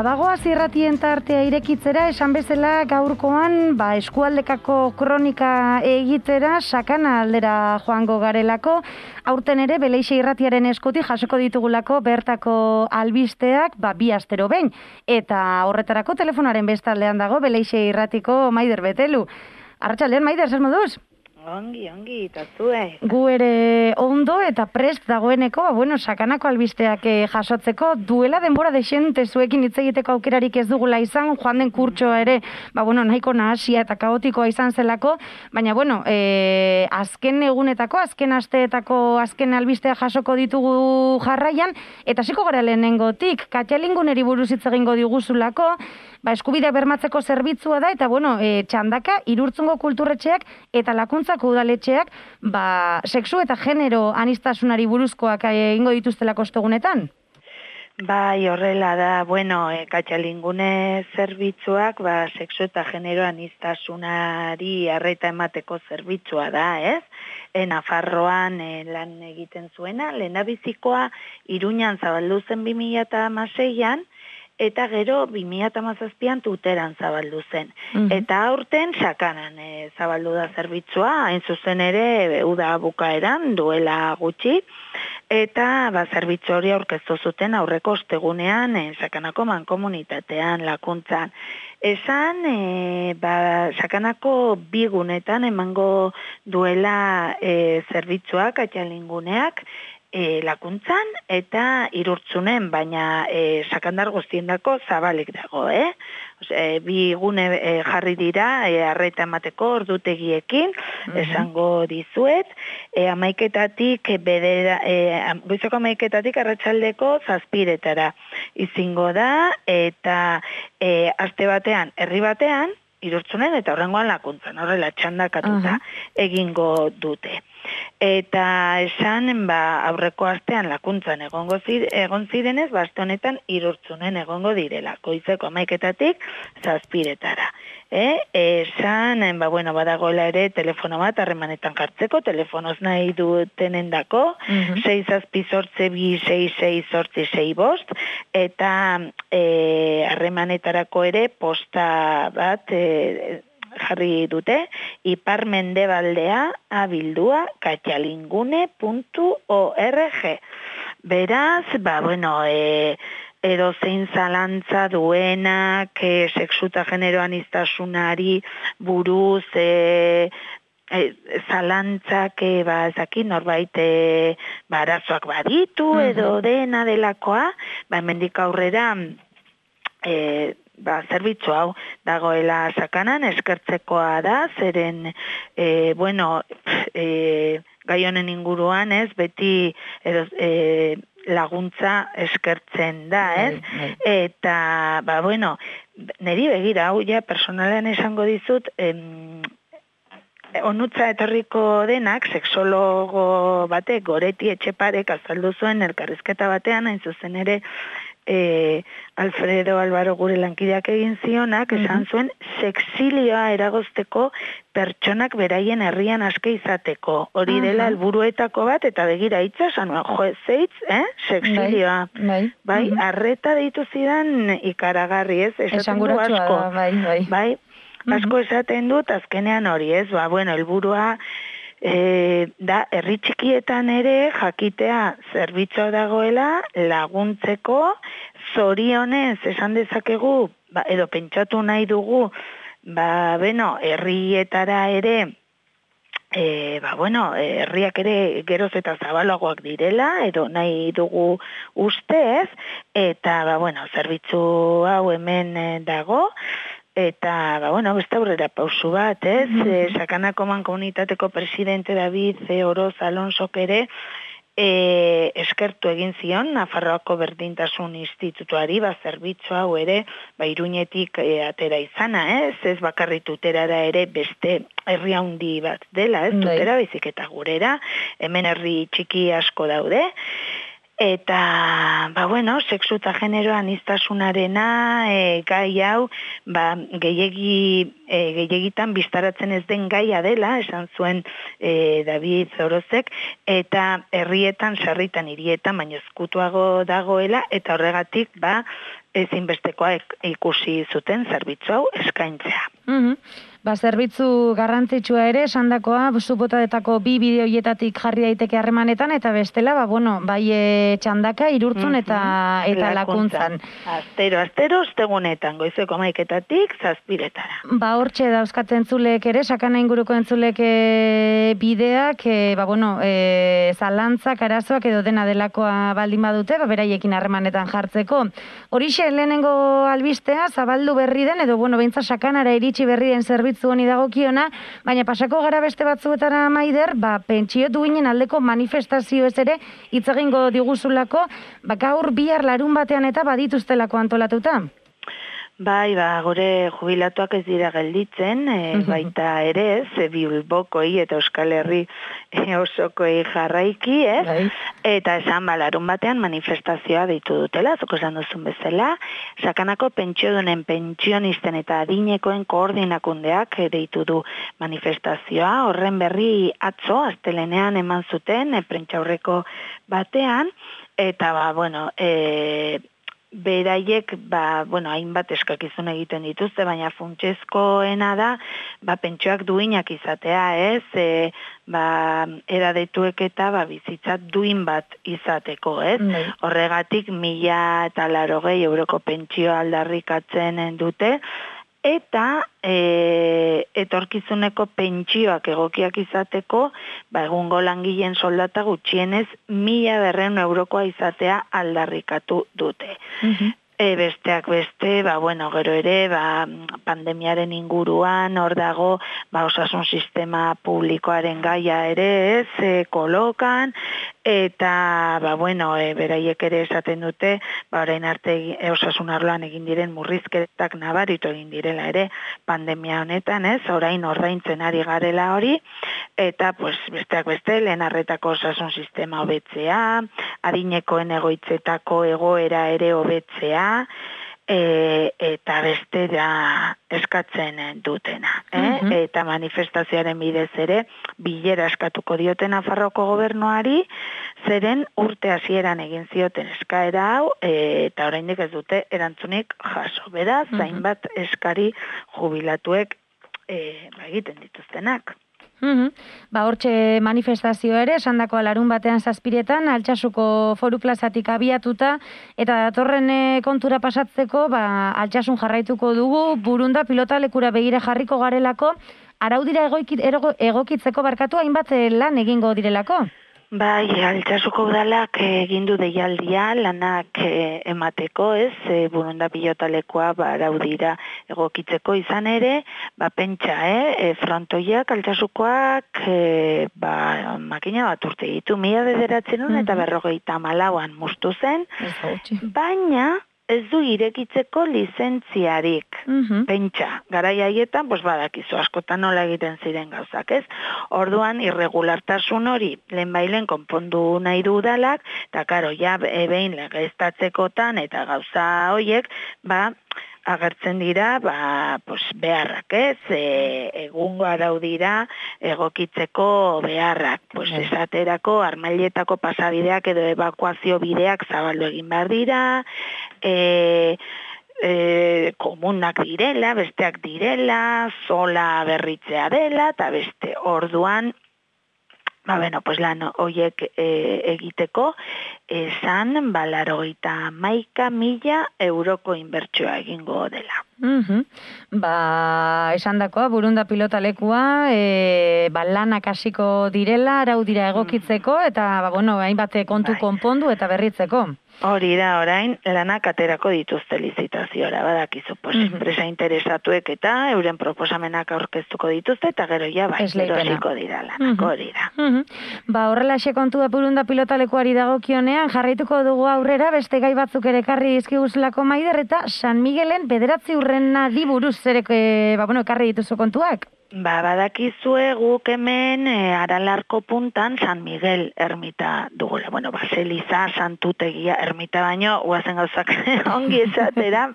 Bagoaz irratien tartea irekitzera, esan bezala gaurkoan eskualdekako kronika egitera sakana aldera joango garelako. Aurten ere Beleixe irratiaren eskutik jasoko ditugulako bertako albisteak bi astero behin. Eta horretarako telefonaren bestaldean dago Beleixe irratiko Maider Betelu. Arratsaldean, Maider, zer moduz? Ongi, eta zue. Gu ere ondo eta prest dagoeneko, sakanako albisteak jasotzeko, duela denbora dexente zuekin hitz egiteko aukerarik ez dugula izan, joan den kurtsoa ere, nahiko nahasia eta kaotikoa izan zelako, baina, azken egunetako, azken asteetako azken albistea jasoko ditugu jarraian, eta hasiko gara lehenengotik, Katxalinguneri buruz hitz egingo diguzulako, eskubidea bermatzeko zerbitzua da, eta txandaka, Irurtzungo kulturretxeak eta Lakuntzako udaletxeak, sexu eta genero anistasunari buruzkoak egingo dituztelako ostegunetan? Bai, horrela da, Katxalingune zerbitzuak, sexu eta genero anistasunari arreta emateko zerbitzua da, ez? Nafarroan lan egiten zuena, lehendabizikoa Iruñan zabaldu zen 2016an, eta gero 2017an Tuteran zabaldu zen. Eta aurten sakanan zabaldu da zerbitzua, hain zuzen ere uda bukaeran duela gutxi, eta zerbitzu hori aurkeztu zuten aurreko ostegunean sakanako mankomunitatean, Lakuntzan. Esan, sakanako 2 gunetan emango duela zerbitzua Katxalinguneak, Lakuntzan eta Irurtzunen, baina sakandar guztiendako zabalik dago, 2 gune jarri dira arreta emateko ordutegiekin, esango dizuet, goizeko 11:00 arratsaldeko 7:00 izingo da, eta aste batean, herri batean, Irurtzunen eta horrengoan Lakuntzan, horrela txandakatuta egingo dute. Eta esan, aurreko astean Lakuntzan egon zirenez, aste honetan Irurtzunen egongo direla, goizeko 11:00 7:00. Esan, badagoela ere telefono bat harremanetan jartzeko, telefonoz nahi dutenendako, 6-8-2-6-6-8-6-5, eta harremanetarako ere posta bat jarri dute, ipar-mendebaldea abildua katxalingune.org. Beraz, edozein zalantza duenak, sexu eta genero anistasunari buruz, zalantzak, norbait arazoak baditu, edo dena delakoa, hemendik aurrera, zerbitzu hau dagoela sakanan, eskertzekoa da, zeren, gai honen inguruan, beti laguntza eskertzen da, Eta, niri begira, hau personalean esango dizut, onutza etorriko denak, sexologo batek, Goreti Etxeparek azaldu zuen elkarrizketa batean, hain zuzen ere, Alfredo Álvaro gure lankideak egin zionak, esan zuen, sexilioa eragozteko pertsonak beraien herrian aske izateko. Hori dela helburuetako bat, eta begira hitza, esan zeitz, sexilioa. Bai, arreta deitu zidan ikaragarri, esaten du asko. Bai, asko esaten dut, azkenean hori, helburua, da, herri txikietan ere jakitea zerbitzua dagoela laguntzeko, zorionez esan dezakegu, edo pentsatu nahi dugu, herrietara ere, herriak ere geroz eta zabalagoak direla, edo nahi dugu ustez, eta, zerbitzu hau hemen dago, eta, beste aurrera pausu bat, sakanako mankomunitateko presidente David Oroz Alonsok ere eskertu egin zion Nafarroako Berdintasun Institutuari, zerbitzu hau ere, Iruñetik atera izana, ez bakarri Tuterara ere beste herri handi bat dela, Tutera baizik eta gurera, hemen herri txiki asko daude, Eta, sexu eta genero anistasunarena gai hau, gehiagitan biztaratzen ez den gaia dela, esan zuen David Zorozek, eta herrietan, sarritan, hirietan, baina ezkutuago dagoela, eta horregatik, ezinbestekoa ikusi zuten zerbitzu hau eskaintzea. Zerbitzu garrantzitsua ere, esandakoa, zubotatako 2 bideoietatik jarri daiteke harremanetan, eta bestela, bai txandaka, irurtzun eta lakuntzan. Astero, ostegunetan, goizeko 11:00-tik 7:00. Hortxe dauzkat entzulek ere, sakana inguruko entzulek bideak, zalantzak, arazoak edo dena delakoa baldin badute, beraiekin harremanetan jartzeko. Horixe, lehenengo albistea, zabaldu berri den, edo, beintza sakanara iritsi berri den zerbitzu honi dagokiona, baina pasako gara beste batzuetara Maider, pentsio duinen aldeko manifestazio ez ere, hitz egingo diguzulako, gaur bihar larun batean eta badituztelako antolatuta. Bai, gure jubilatuak ez dira gelditzen, baita ere, Bilbokoi eta Euskal Herri osokoi jarraiki, ez? Eta esan larun batean manifestazioa deitu dutela, zoko esan duzun bezala, sakanako pentsiodunen pentsionisten eta adinekoen koordinakundeak deitu du manifestazioa, horren berri atzo, astelenean eman zuten, prentsaurreko batean, eta beraiek, hainbat eskakizun egiten dituzte, baina funtsezkoena da, pentsioak duinak izatea, ez? Edadetuek eta bizitza duin bat izateko, ez? Horregatik 1.080 euroko pentsioa aldarrikatzen dute, eta etorkizuneko pentsioak egokiak izateko, egungo langileen soldata gutxienez 1.200 eurokoa izatea aldarrikatu dute. Besteak beste, gero ere, pandemiaren inguruan, hor dago, osasun sistema publikoaren gaia ere, ez, kolokan, eta, beraiek ere esaten dute, orain arte osasun arloan egin diren murrizketak nabaritu egin direla ere, pandemia honetan, ez, orain ordaintzen ari garela hori, eta, besteak beste, lehen arretako osasun sistema hobetzea, adinekoen egoitzetako egoera ere hobetzea, eta beste da eskatzen dutena. Eta manifestazioaren bidez ere, bilera eskatuko dioten Nafarroako gobernuari, zeren urte hasieran egin zioten eskaera hau, eta oraindik ez dute erantzunik jaso. Beraz, zainbat eskari jubilatuek egiten dituztenak. Hortxe manifestazio ere, esandako larun batean 7:00 Altsasuko Foru Plazatik abiatuta, eta datorren kontura pasatzeko, Altsasun jarraituko dugu, Burunda pilotalekura begira jarriko garelako, araudira egokitzeko hainbat lan egingo direlako? Bai, Altsasuko udalak egin du deialdia lanak emateko, ez, Burunda pilotalekua araudira egokitzeko izan ere, pentsa, frontoiak Altsasukoak makina bat urte ditu, 1994an mustu zen, baina ez du irekitzeko lizentziarik. Pentsa, garai haietan, badakizu askotan nola egiten ziren gauzak, ez? Orduan, irregulartasun hori lehenbailen konpondu nahi du udalak, eta karo, behin legeztatzekotan eta gauza horiek, agertzen dira, beharrak, ez? Egungo araudira egokitzeko beharrak. Esaterako, armailetako pasabideak edo evakuazio bideak zabaldu egin behar dira, komunak direla, besteak direla, zola berritzea dela, eta beste orduan, lan horiek egiteko, esan 91.000 euroko inbertsioa egingo dela. Esandakoa, Burunda pilotalekua, lanak hasiko direla, araudira egokitzeko, eta, hainbat kontu konpondu eta berritzeko. Hori da, orain, lanak aterako dituzte lizitaziora, badakizu, enpresa interesatuek eta euren proposamenak aurkeztuko dituzte, eta gero erosiko dira lanak, hori da. Horrelaxe kontua Burunda pilotalekuari dagokionean, jarraituko dugu aurrera, beste gai batzuk ere ekarri dizkiguzulako Maider, eta San Miguelen 9 urrenari buruz ekarri dituzu kontuak? Badakizue guk hemen Aralarko puntan San Miguel ermita dugula. Baseliza, santutegia, ermita baino, guazen gauzak ongi esatera,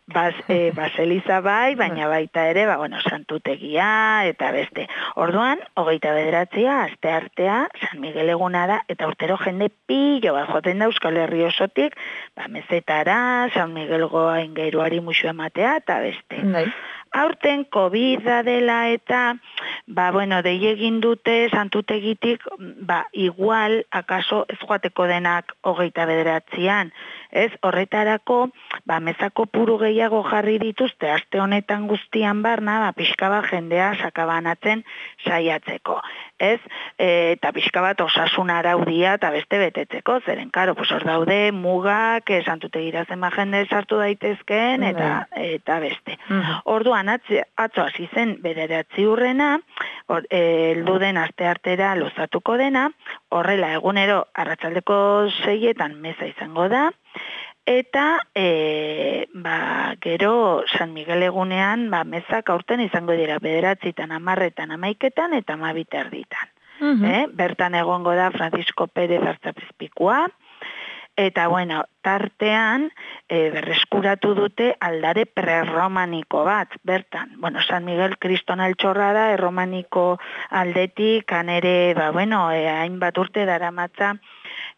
Baseliza bai, baina baita ere, santutegia eta beste. Orduan, 29a, aste artea, San Miguel eguna da, eta urtero jende pilo bat joten da Euskal Herri osotik, mezetara, San Miguelgo aingeruari musu ematea, eta beste. Aurten COVID-a dela eta, dei egin dute santutegitik, igual, akaso ez joateko denak 29an, ez? Horretarako, mezako puru gehiago jarri dituzte, aste honetan guztian barna, pixka bat jendea sakabanatzen saiatzeko, ez? Eta pixka bat osasun araudia eta beste betetzeko, zeren, karo, hor daude mugak, santutegira zenba jende sartu daitezkeen, eta beste. Orduan, atzo hasi zen bederatzi urrena, heldu den aste artera luzatuko dena, horrela egunero arratsaldeko 6etan meza izango da, eta gero San Miguel egunean mezak aurten izango dira 9etan, 10etan, 11etan eta 12etan. Bertan egongo da Francisco Pérez Artzapizpikua, eta tartean berreskuratu dute aldare prerromaniko bat, bertan. San Miguel kriston altxorra da, erromaniko aldetik, ere, hainbat urte daramatza,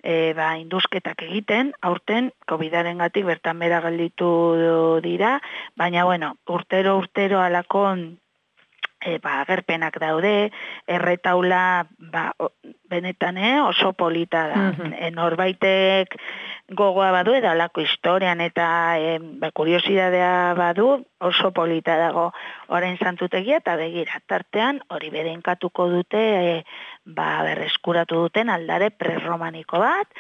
induzketak egiten, aurten, COVID-arengatik bertan bera gelditu dira, baina, urtero alako agerpenak daude, erretaula benetan oso polita da. Norbaitek gogoa badu edo alako historian eta kuriosidadea badu oso polita dago orain santutegia eta begira. Tartean hori bedeinkatuko dute berreskuratu duten aldare prerromaniko bat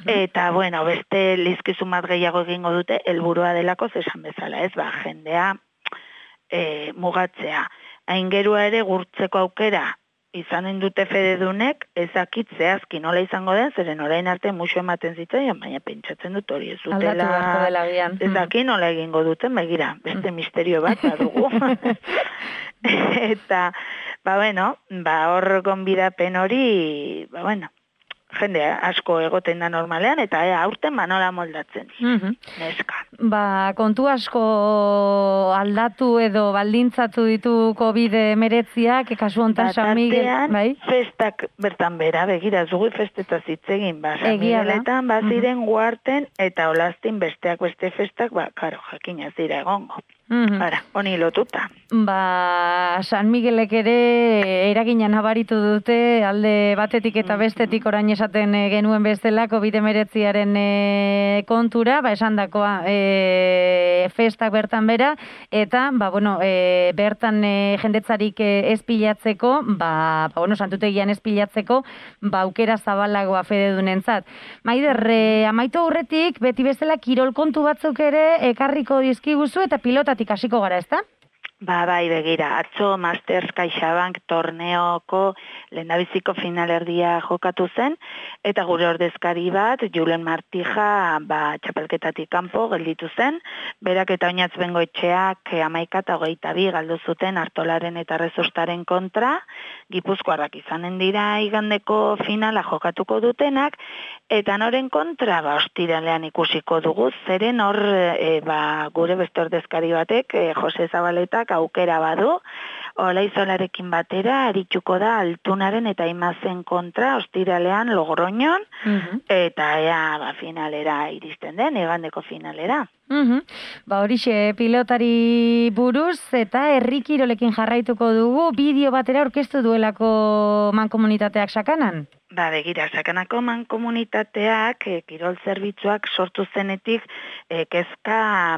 eta beste lizkizun bat gehiago egingo dute helburua delako zesan bezala, ez jendea mugatzea. Aingerua ere gurtzeko aukera izanen dute fededunek, ezakit zehazki nola izango den, zeren orain arte musu ematen zitzaion, baina pentsatzen dut hori ez dutela, ezaki nola egingo duten, begira, beste misterio bat badugu. Eta, hor gonbidapen hori, jende asko egoten da normalean, eta aurten nola moldatzen. Neska. Kontu asko aldatu edo baldintzatu ditu COVID-19, kasu hontan San Miguel, bai? Festak bertan bera, begira, zugu festetaz hitzegin, San Migueletan, ziren guarten, eta olaztin besteak beste festak, karo, jakina zira egongo. Honi lotuta. San Miguelek ere eragina nabaritu dute, alde batetik eta bestetik orain esaten genuen bezala COVID-19aren kontura, esan dakoa festak bertan bera, eta bertan jendetzarik ez pilatzeko, santutegian ez pilatzeko, aukera zabalagoa fededunentzat. Maider, amaitu aurretik, beti bezala kirol kontu batzuk ere ekarriko dizkiguzu eta pilotatik hasiko gara, ezta? Bai, begira, atzo Masters CaixaBank torneoko lehendabiziko finalerdia jokatu zen, eta gure ordezkari bat, Julen Martija, txapelketatik kanpo gelditu zen, berak eta Oinatz Bengoetxeak 11-22 galdu zuten Artolaren eta Rezostaren kontra, Gipuzkoarrak izanen dira igandeko finala jokatuko dutenak, eta noren kontra, ostiralean ikusiko dugu, zeren hor, gure beste ordezkari batek, Jose Zabaletak aukera badu, Olaizolarekin batera arituko da Altunaren eta Imazen kontra ostiralean Logroñon, eta finalera iristen den, igandeko finalera. Horixe, pilotari buruz eta herri kirolekin jarraituko dugu, bideo batera aurkeztu duelako mankomunitateak Sakanan? Begira, Sakanako mankomunitateak kirol zerbitzuak sortu zenetik kezka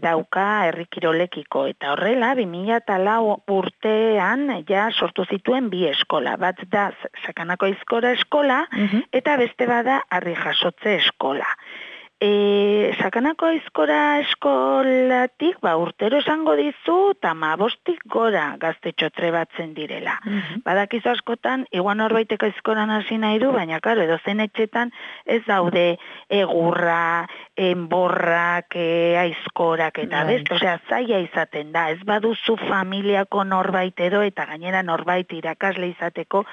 dauka herri kirolekiko, eta horrela 2004 urtean sortu zituen bi eskola, bat da Sakanako Aizkora eskola eta beste bada Harri Jasotze eskola. Sakanako Aizkora eskolatik urtero esango dizu 15 gora gaztetxo trebatzen direla. Badakizu askotan, igual norbaitek aizkoran hasi nahi du, baina karo, edozen etxetan ez daude egurra, enborrak, aizkorak eta best, osea, zaila izaten da, ez baduzu familiako norbait edo eta gainera norbait irakasle izateko.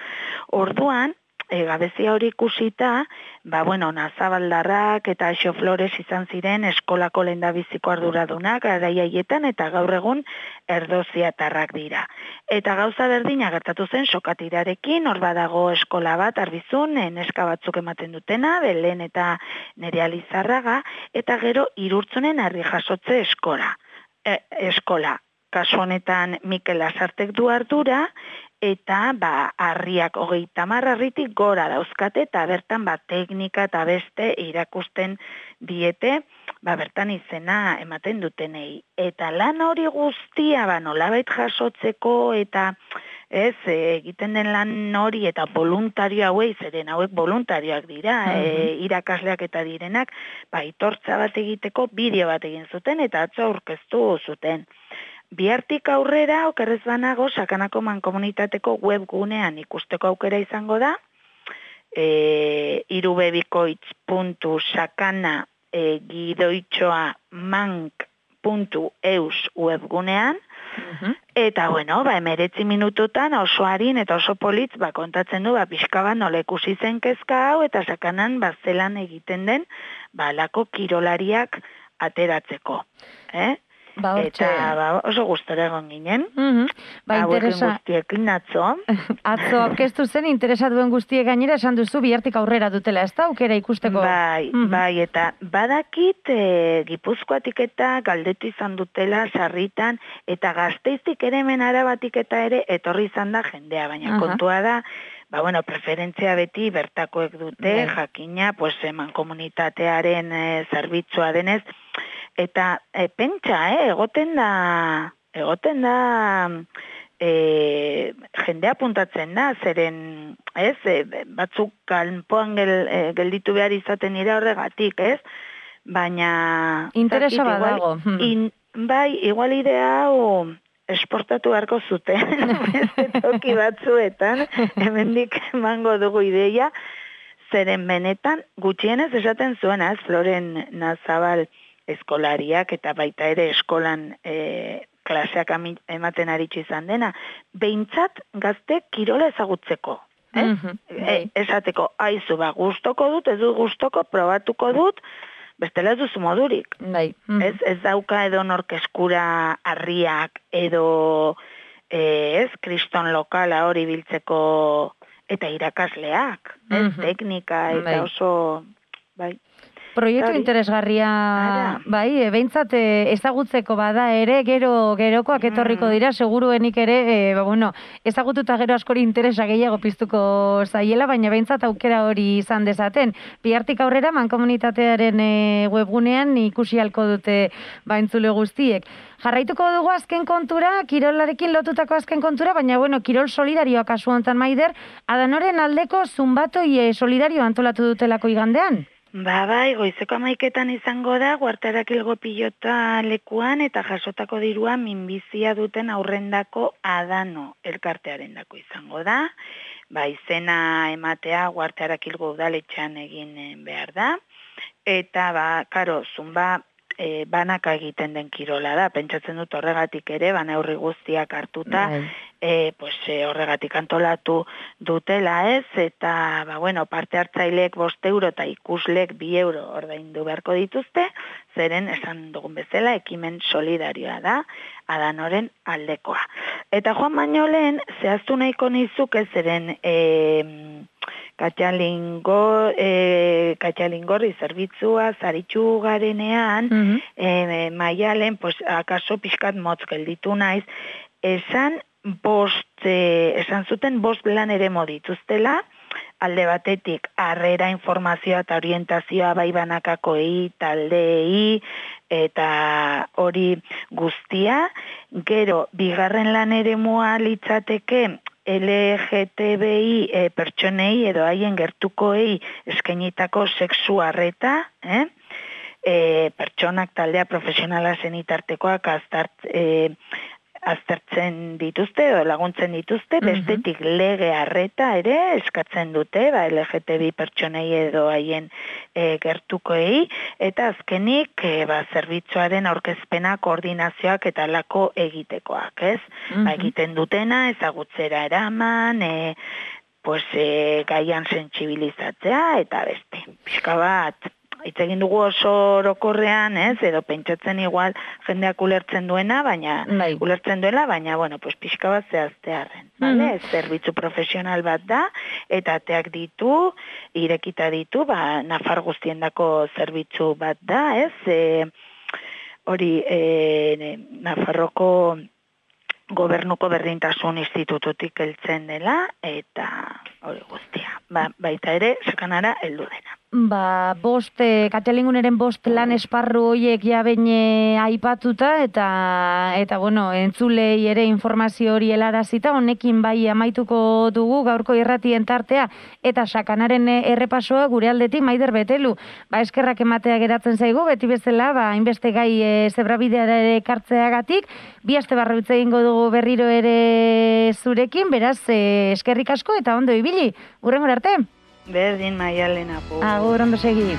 Orduan, gabezia hori ikusita, Nazabaldarrak eta Aixo Flores izan ziren eskolako lehendabiziko arduradunak garai haietan eta gaur egun erdoziatarrak dira. Eta gauza berdina gertatu zen Sokatirarekin, hor badago eskola bat Arbizun, neska batzuk ematen dutena, Belen eta Nerea Lizarraga, eta gero Irurtzunen Harri Jasotze eskola. Kasu honetan Mikel Lasartek du ardura, eta harriak 30 harritik gora dauzkate, eta bertan teknika eta beste irakusten diete, bertan izena ematen dutenei. Eta lan hori guztia nolabait jasotzeko, eta egiten den lan hori eta voluntario hauei, zeren hauek voluntarioak dira, irakasleak eta direnak, itortza bat egiteko bideo bat egin zuten, eta atzo aurkeztu zuten. Bihartik aurrera, okerrez banago, Sakanako Mankomunitateko webgunean ikusteko aukera izango da, irubebikoitz.sakana-mank.eus webgunean, eta 19 minututan oso harin eta oso politz kontatzen du pixka bat nola ikusi zen kezka hau, eta Sakanan zelan egiten den alako kirolariak ateratzeko. Eta oso gustora egon ginen. Interesa. Guztiekin atzo. Atzo aurkeztu zen, interesa duen guztiek gainera esan duzu bihartik aurrera dutela, ez da aukera ikusteko? Bai, eta badakit Gipuzkoatik eta galdetu izan dutela sarritan, eta Gasteiztik ere hemen Arabatik eta ere etorri izan da jendea, baina kontua da, preferentzia beti bertakoek dute, jakina, mankomunitatearen zerbitzua denez, eta pentsa, egoten da jendea puntatzen da, zeren, batzuk kanpoan gelditu behar izaten dira horregatik, baina... Interesa badago. Bai, igual idea hau esportatu beharko zuten, toki batzuetan, hemendik emango dugu ideia, zeren benetan gutxienez esaten zuena, Floren Nazabal eskolariak eta baita ere eskolan klaseak ematen aritsu izan dena, behintzat gazte kirola ezagutzeko. Esateko, aizu, gustoko dut, ez dut gustoko, probatuko dut, bestela ez duzu modurik. Ez dauka edo norkeskura harriak edo kriston lokala hori biltzeko eta irakasleak, teknika eta oso... Proiektu interesgarria, behintzat ezagutzeko bada ere, gerokoak etorriko dira, seguruenik ere, ezagututa gero askori interesa gehiago piztuko zaiela, baina behintzat aukera hori izan dezaten. Bihartik aurrera, mankomunitatearen webgunean ikusi halko dute entzule guztiek. Jarraituko dugu azken kontura, kirolarekin lotutako azken kontura, baina kirol solidarioa kasu honetan Maider, Adanoren aldeko zunbatoi solidario antolatu dutelako igandean? Goizeko 11etan izango da, Guartarakilgo pilota lekuan eta jasotako dirua minbizia duten aurrendako Adano elkartearendako izango da. Izena ematea Guartarakilgo udaletxean egin behar da. Eta, zunba banaka egiten den kirola da. Pentsatzen dut horregatik ere, neurri guztiak hartuta, horregatik antolatu dutela eta parte hartzaileek 5 euro eta ikuslek 2 euro ordaindu beharko dituzte, zeren esan dugun bezala ekimen solidarioa da, Adanoren aldekoa. Eta joan baino lehen, zehaztu nahiko nizuke zeren Katxalingorri zerbitzua zaritxu garenean, maialen, akaso pixkat motz gelditu naiz, esan zuten 5 lan ere modituztela, alde batetik harrera informazioa eta orientazioa banakakoei, taldeei, eta hori guztia, gero, bigarren lan ere mua litzateke, LGTBI pertsonei edo haien gertukoei eskainitako sexu harreta, pertsonak taldea profesionala zenitartekoak aztertzen dituzte edo laguntzen dituzte, bestetik lege harreta ere eskatzen dute, LGTBI pertsonei edo haien gertukoei, eta azkenik zerbitzuaren aurkezpena, koordinazioak eta lako egitekoak, ez? Egiten dutena, ezagutzera eraman, pues, gaian sentsibilizatzea eta beste. Pixka bat, hitz egin dugu oso orokorrean, edo pentsatzen igual jendeak ulertzen duena, baina bueno, pues pixka bat zehaztearren, bale? Zerbitzu profesional bat da, eta ateak ditu, irekita ditu, Nafar guztiendako zerbitzu bat da, hori Nafarroko Gobernuko Berdintasun Institututik heltzen dela, eta hori guztia. Baita ere, sakanara heldu dena. Katialinguneren 5 lan esparru horiek jabein aipatuta, eta bueno, entzulei ere informazio hori helarazita, honekin bai amaituko dugu gaurko irratien tartea, eta sakanaren errepasoa gure aldetik Maider Betelu. Eskerrak ematea geratzen zaigu, beti bezala, hainbeste gai zebrabideara ere ekartzeagatik, 2 aste barru hitz egingo dugu berriro ere zurekin, beraz, eskerrik asko eta ondo ibili. Hurrengora arte. Berdin, Maialen, agur. Agur, ondo segi.